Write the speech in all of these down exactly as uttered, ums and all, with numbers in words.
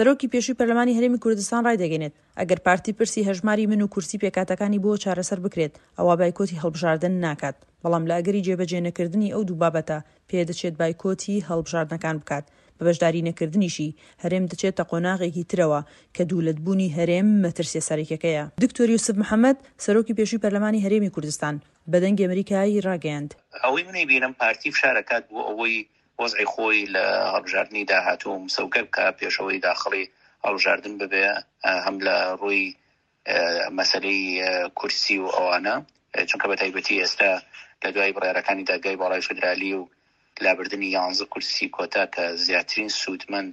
سەرۆکی پێشووی پەرلەمانی هەرێمی کوردستان ڕایدەگەینێت، ئەگەر پارتی پرسی هەژماری من و کورسی پێکهاتەکانی بۆ چارەسەر بکرێت، ئەوا بایکۆتی هەڵبژاردن ناکات، بەڵام لە ئەگەری جێبەجێنەکردنی ئەو دوو بابەتە پێدەچێت بایکۆتی هەڵبژاردنەکان بکات، بە بەشداری نەکردنیشی هەرێم دەچێتە قۆناغێکی ترەوە کە دوولەتبوونی هەرێم مەترسیە سەرەکیەکەیە. دکتۆر یوسف محەمەد، سەرۆکی پێشووی پەرلەمانی هەرێمی کوردستان، بە دەنگی ئەمریکای ڕاگەیاند. ئەوەی من ئەیبینم پارتی فشار ئەکات بۆ ئەوەی وەزعی خۆی لە هەڵبژاردنی داهاتوو مسەوگەر بکا پێش ئەوەی داخڵی هەڵبژاردن ببێ هەم لە ڕووی مەسەلەی کورسی و ئەوانە چونکە بە تایبەتی ئێستا لە دوای بڕیارەکانی دادگای باڵای فیدرالی و لابردنی یانزە کورسی کۆتا کە زیاترین سوودمەند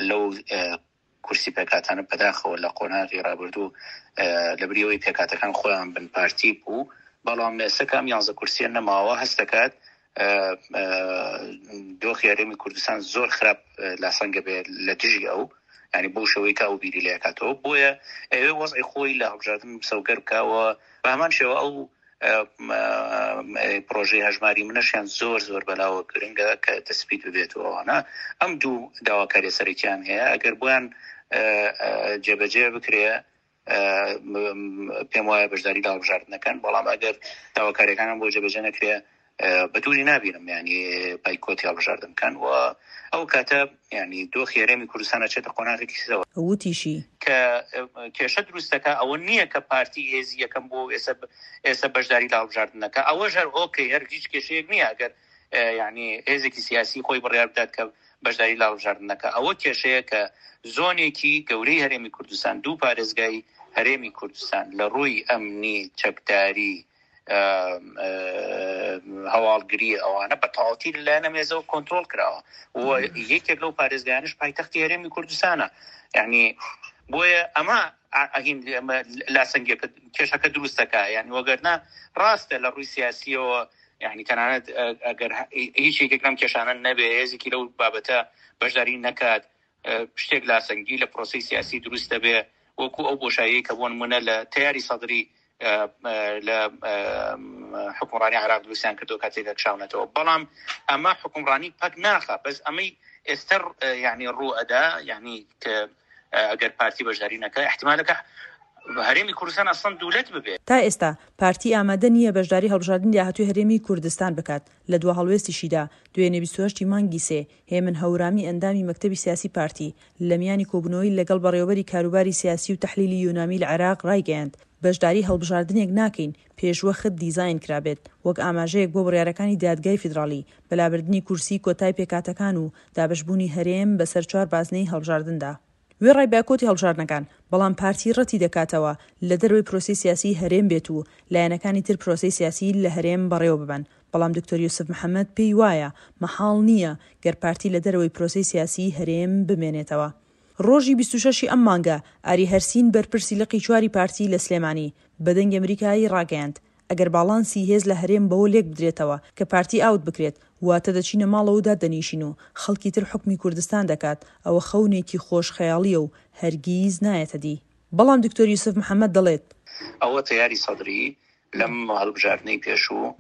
لەو کورسی پێکهاتانە بەداخەوە لە قۆناغی ڕابردوو لەبری ئەوەی پێکهاتەکان خۆیان بن پارتی بوو بەڵام ئێستا کە ئەم یانزە کورسیە نەماوە هەست دەکات دۆخی هەرێمی کوردستان زۆر خراپ لاسەنگە بێ لە دژی ئەو ینی بۆ شەوەی کە ئەو بیری لەکاتەوە بۆیە ئەوێ وەزعی خۆی لە هەڵبژاردن مسەوگەر بکەوە بە هەمان شێوە ئەو پرۆژەی هەژماری منەشیان زۆر زۆر بەلاوە گرنگە کە تەسپیت ببێت و ئەوانە ئەم دوو داواکاری سەرەکیان هەیە ئەگەر بۆیان جێبەجێ بکرێ پێم وایە بەشداری لە هەڵبژاردنەکەن بەڵام ئەگەر داواکاریەکانیان بۆ جێبەجێ نەکرێ بە دووری نابینم ینی بایکۆتی هەڵبژاردن بکەن و ئەو کاتە ینی دۆخی هەرێمی کوردستان ئەچێتە قۆناغێکی ترەوە. وتیشی. کە کێشە دروست دەکا ئەوە نییە کە پارتی هێزی یەکەم بووە و ئێستا ئێستا بەشداری لە هەڵبژاردن نەکا ئەوەش هەر ئۆکەی هەر هیچ کێشەیەک نییە ئەگەر یعنی هێزێکی سیاسی خۆی بڕیار بدات کە بەشداری لە هەڵبژاردن نەکا ئەوە کێشەیە کە زۆنێکی گەورەی هەرێمی کوردستان دوو پارێزگای هەرێمی کوردستان لە ڕووی ئەمنی چەکداری هەواڵگری ئەوانە بە تەواوەتی لەلایەن ئەم هێزەوە کۆنترۆڵ کراوە و یەکێک لەو پارێزگایانش پایتەختی هەرێمی کوردستانە یعنی بۆیە ئەمە لاسەنگیەکە کێشەکە دروست دەکا یعنی وەگەرنا ڕاستە لە ڕووی سیاسیەوە یعنی تەنانەت ئەگەر هیچ یەکێک لەم کێشانە نەبێ هێزێکی لەو بابەتە بەشداری نەکات شتێک لاسەنگی لە پرۆسەی سیاسی دروست دەبێ وەکو ئەو بۆشاییەی کە بۆ نمونە لە تەیاری سەدری لە حکومڕانی عراق دروستیان کردو کاتێک کشاونەتەوە بەڵام ئەمە حکومڕانی پەک ناخە بەس ئەمەی ئێستا یعنی ڕوو ئەدا یعنی کە ئەگەر پارتی بەشداری نەکە احتمالەکە هەرێمی کوردستان ئەسڵەن دوولەت ببێت. تا ئێستا پارتی ئامادە نییە بەشداری هەڵبژاردنی داهاتووی هەرێمی کوردستان بکات، لە دوا هەڵوێستیشیدا دوێنێ بیست و هەشت ی مانگی سێ هێمن هەورامی ئەندامی مەکتەبی سیاسی پارتی لە میانی کۆبوونەوەی لەگەڵ بەڕێوەبەری کاروباری سیاسی و تەحلیلی یونامی لە عێراق ڕایگەیاند بەشداری هەڵبژاردنێک ناکەین پێشوەخت دیزاین کرابێت وەک ئاماژەیەک بۆ بڕیارەکانی دادگای فیدراڵی بە لابردنی کورسی کۆتای پێکهاتەکان و دابەشبوونی هەرێم بەسەر چوار بازنەی هەڵبژاردندا. وێڕای بایکۆتی هەڵبژاردنەکان، بەڵام پارتی ڕەتی دەکاتەوە لە دەرەوەی پرۆسەی سیاسیی هەرێم بێت و لایەنەکانی تر پرۆسەی سیاسی لە هەرێم بەڕێوە ببەن، بەڵام دکتۆر یوسف محەمەد پێی وایە مەحاڵ نییە گەر پارتی لە دەرەوەی پرۆسەی سیاسیی هەرێم بمێنێتەوە. ڕۆژی بیست و شەش ی ئەم مانگە ئاری هەرسین بەرپرسی لقی چواری پارتی لە سلێمانی بە دەنگی ئەمریکای ڕاگەیاند ئەگەر باڵانسی هێز لە هەرێم بەوە لێک بدرێتەوە کە پارتی ئاوت بکرێت واتە دەچینە ماڵەوە و دادەنیشین و خەڵکی تر حوکمی کوردستان دەکات ئەوە خەونێکی خۆش خەیاڵیە و هەرگیز نایەتە دی بەڵام دکتۆر یوسف محەمەد دەڵێت. ئەوە تەیاری سەدری لەم هەڵبژاردنەی پێشوو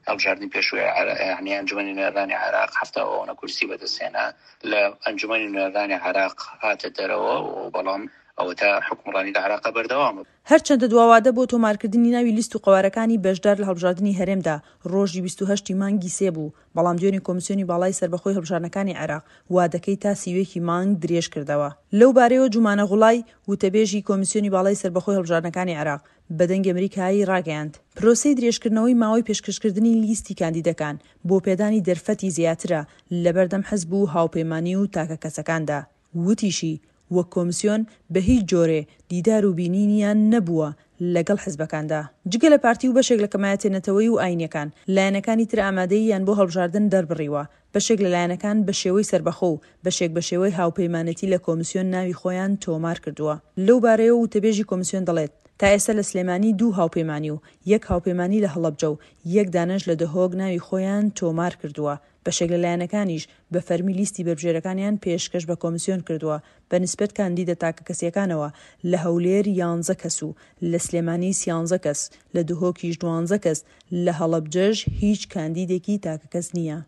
هەڵبژاردنی پێشووی یعنی ئەنجومەنی نوێنەرانی عێراق حەفتا و ئەوەنە کورسی بەدەستهێنا لە ئەنجومەنی نوێنەرانی عێراق هاتە دەرەوە و بەڵام ئەوەتا حوکمڕانی لە عێراقا بەردەوامە. هەرچەندە دواوادە بۆ تۆمارکردنی ناوی لیست و قەوارەکانی بەشدار لە هەڵبژاردنی هەرێمدا ڕۆژی بیست و هەشت ی مانگی سێ بوو، بەڵام دوێنێ کۆمیسیۆنی باڵای سەربەخۆی هەڵبژاردنەکانی عێراق وادەکەی تا سی و یەک ی مانگ درێژکردەوە. لەو بارەیەوە جومانە غوڵای، وتەبێژی کۆمیسیۆنی باڵای سەربەخۆی هەڵبژاردنەکانی عێراق، بە دەنگی ئەمریکای ڕاگەیاند، پرۆسەی درێژکردنەوەی ماوەی پێشکەشکردنی لیستی کاندیدەکان بۆ پێدانی دەرفەتی زیاترە لەبەردەم حزب و هاوپەیمانی و تاکەکەسەکاندا. وتیشی، وەک کۆمسیۆن بە هیچ جۆرێ دیدار و بینینیان نەبووە لەگەڵ حزبەکاندا. جگە لە پارتی و بەشێک لە کەمایەتیە نەتەوەیی و ئاینیەکان، لایەنەکانی تر ئامادەییان بۆ هەڵبژاردن دەربڕیوە. بەشێک لە لایەنەکان بە شێوەی سەربەخۆ و بەشێک بە شێوەی هاوپەیمانێتی لە کۆمسیۆن ناوی خۆیان تۆمار کردووە. لەو بارەیەوە وتەبێژی کۆمسیۆن دەڵێت، تا ئێستا لە سلێمانی دوو هاوپەیمانی و یەک هاوپەیمانی لە هەڵەبجە و یەک دانەش لە دهۆک ناوی خۆیان تۆمار کردووە. بەشێک لە لایەنەکانیش بە فەرمی لیستی بەربژێرەکانیان پێشکەش بە کۆمسیۆن کردووە، بە نیسبەت کاندیدە تاکەکەسییەکانەوە لە هەولێر یانزە کەس و لە سلێمانی سیانزە کەس، لە دهۆکیش دوانزە کەس، لە هەڵەبجەش هیچ کاندیدێکی تاکەکەس نییە.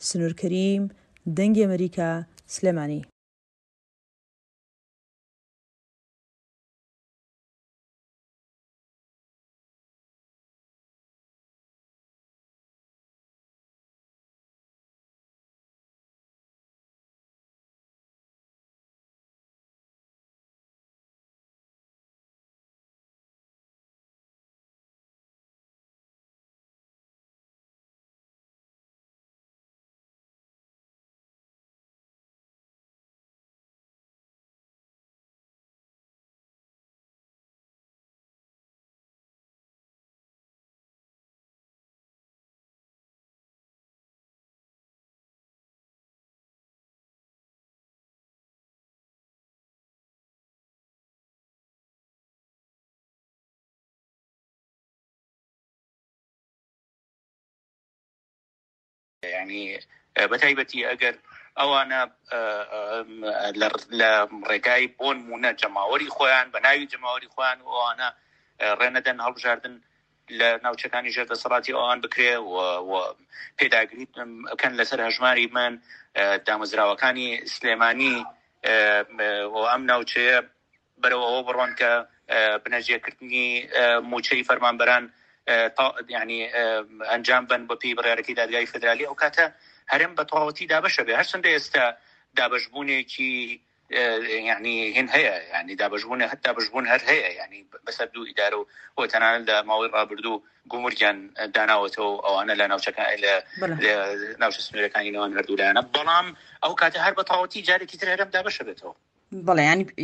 سنوور کەریم، دەنگی ئەمەریکا، سلێمانی. یعنی بە تایبەتی ئەگەر ئەوانە لە ڕێگای بۆن مونە جەماوەری خۆیان بە ناوی جەماوەری خۆیان و ئەوانە ڕێنەدەن هەڵبژاردن لە ناوچەکانی ژێر دەسەڵاتی ئەوان بکرێ و پێداگری بکەن لەسەر هەژماری من دامەزراوەکانی سلێمانی و ئەم ناوچەیە بەرەو ئەوە بڕۆن کە بنەجێکردنی موچەی فەرمانبەران ینی ئەنجام بن بە پێی بڕیارەکەی دادگای فدرالی، ئەو کاتە هەرێم بە تەواوەتی دابەشە بێ. هەرچەندە ئێستا دابەشبوونێکی یعنی هین هەیە، یعنی دابەشبوون هەر دابەشبوون هەر هەیە، یعنی بەسەر دوو ئیدارە و و تەنانەت لە ماوەی ڕابردوو گومرگیان داناوەتەوە ئەوانە لە ناوچەکان لە ناوچە سنوورەکانی نێوان هەردوو لایەنە، بەڵام ئەو کاتە هەر بە تەواوەتی جارێکی تر هەرێم دابەشە بێتەوە. بەڵێ، ینی